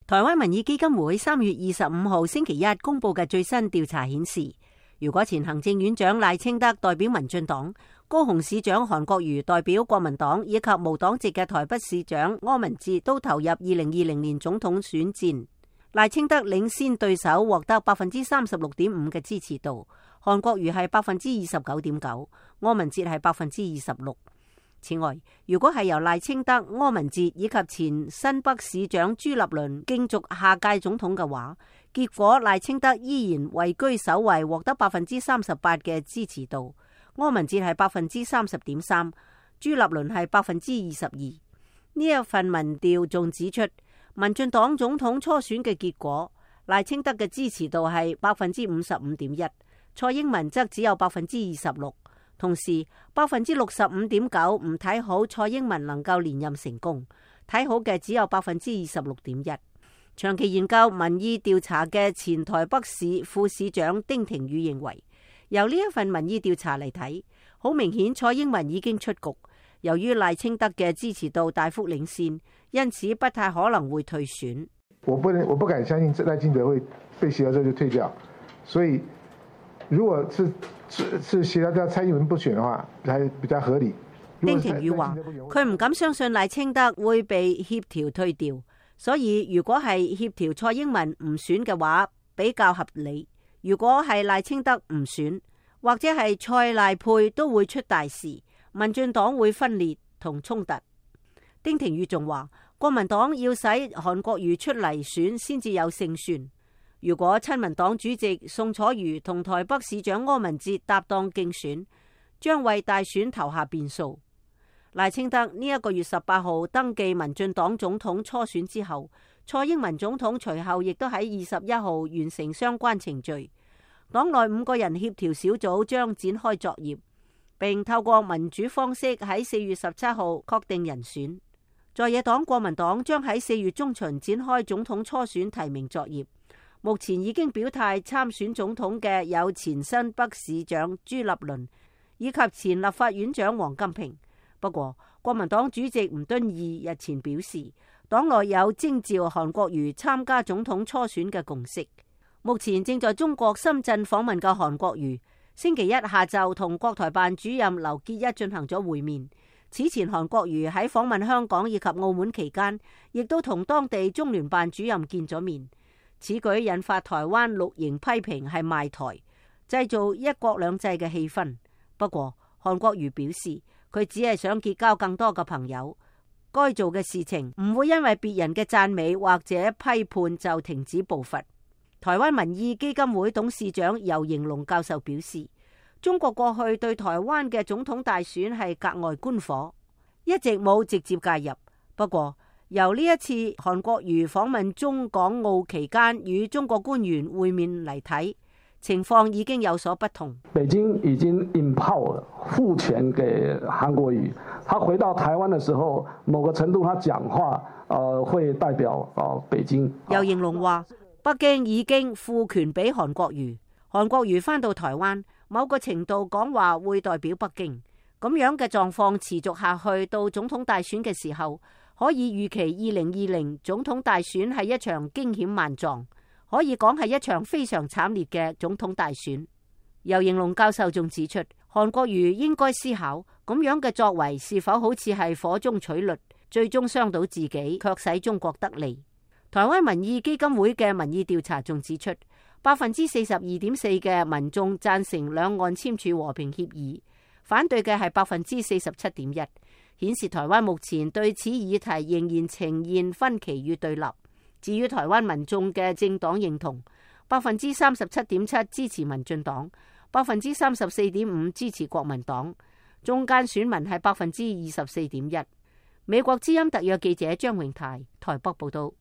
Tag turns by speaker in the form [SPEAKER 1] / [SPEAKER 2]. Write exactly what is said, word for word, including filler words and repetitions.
[SPEAKER 1] 台灣民意基金會三月二十五號星期一公布嘅最新調查顯示，如果前行政院長賴清德代表民進黨，高雄市長韓國瑜代表國民黨，以及無黨籍嘅台北市長柯文哲都投入二零二零年總統選戰，賴清德領先對手獲得百分之三十六點五嘅支持度，韓國瑜係百分之二十九點九，柯文哲係百分之二十六。此外，如果係由賴清德、柯文哲以及前新北市長朱立倫競逐下屆總統嘅話，結果賴清德依然位居首位，獲得百分之三十八嘅支持度，柯文哲係百分之三十點三，朱立倫係百分之二十二。呢一份民調仲指出，民進黨總統初選嘅結果，賴清德嘅支持度係百分之五十五點一，蔡英文則只有百分之二十六。同時，百分之六十五點九唔睇好蔡英文能夠連任成功，睇好嘅只有百分之二十六點一。長期研究民意調查嘅前台北市副市長丁廷宇認為，由呢一份民意調查嚟睇，好明顯蔡英文已經出局。由於賴清德嘅支持度大幅領先，因此不太可能會退選。
[SPEAKER 2] 我不能，我不敢相信賴清德會被協調之後就退掉，所以如果是是是協調掉蔡英文不選嘅話，係比較合理。
[SPEAKER 1] 丁廷宇話：佢唔敢相信賴清德會被協調退掉，所以如果係協調蔡英文唔選嘅話，比較合理。如果係賴清德唔選，或者係蔡賴配都會出大事，民進黨會分裂同衝突。丁廷宇仲話：國民黨要使韓國瑜出嚟選先至有勝算。如果親民黨主席宋楚瑜同台北市長柯文哲搭檔競選，將為大選投下變數。賴清德呢一個月十八號登記民進黨總統初選之後，蔡英文總統隨後亦都喺二十一號完成相關程序。黨內五個人協調小組將展開作業，並透過民主方式喺四月十七號確定人選。在野黨國民黨將喺四月中旬展開總統初選提名作業。目前已經表態參選總統嘅有前新北市長朱立倫以及前立法院長王金平。不過，國民黨主席吳敦義日前表示，黨內有徵召韓國瑜參加總統初選嘅共識。目前正在中國深圳訪問嘅韓國瑜，星期一下晝同國台辦主任劉結一進行咗會面。此前，韓國瑜喺訪問香港以及澳門期間，亦都同當地中聯辦主任見咗面。此舉引發台灣綠營批評係賣台，製造一國兩制嘅氣氛。不過，韓國瑜表示，佢只係想結交更多嘅朋友，該做嘅事情唔會因為別人嘅讚美或者批判就停止步伐。台灣民意基金會董事長游盈隆教授表示，中國過去對台灣嘅總統大選係格外觀火，一直冇直接介入。不過，由呢一次韓國瑜訪問中港澳期間與中國官員會面嚟睇，情況已經有所不同。
[SPEAKER 3] 北京已經 empower 賦權給韓國瑜，他回到台灣的時候，某個程度他講話，呃，會代表呃北京。
[SPEAKER 1] 游盈隆話，北京已經賦權俾韓國瑜，韓國瑜返到台灣，某個程度講話會代表北京。咁樣嘅狀況持續下去到總統大選嘅時候，可以預期二零二零總統大選係一場驚險萬狀，可以講係一場非常慘烈嘅總統大選。游盈隆教授仲指出，韓國瑜應該思考咁樣嘅作為是否好似係火中取栗，最終傷到自己，卻使中國得利。台灣民意基金會嘅民意調查仲指出，百分之四十二點四嘅民眾贊成兩岸簽署和平協議，反對嘅係百分之四十七點一。顯示台灣目前對此議題仍然呈現分歧與對立。至於台灣民眾嘅政黨認同，百分之三十七點七支持民進黨，百分之三十四點五支持國民黨，中間選民係百分之二十四點一。美國之音特約記者張榮泰台北報道。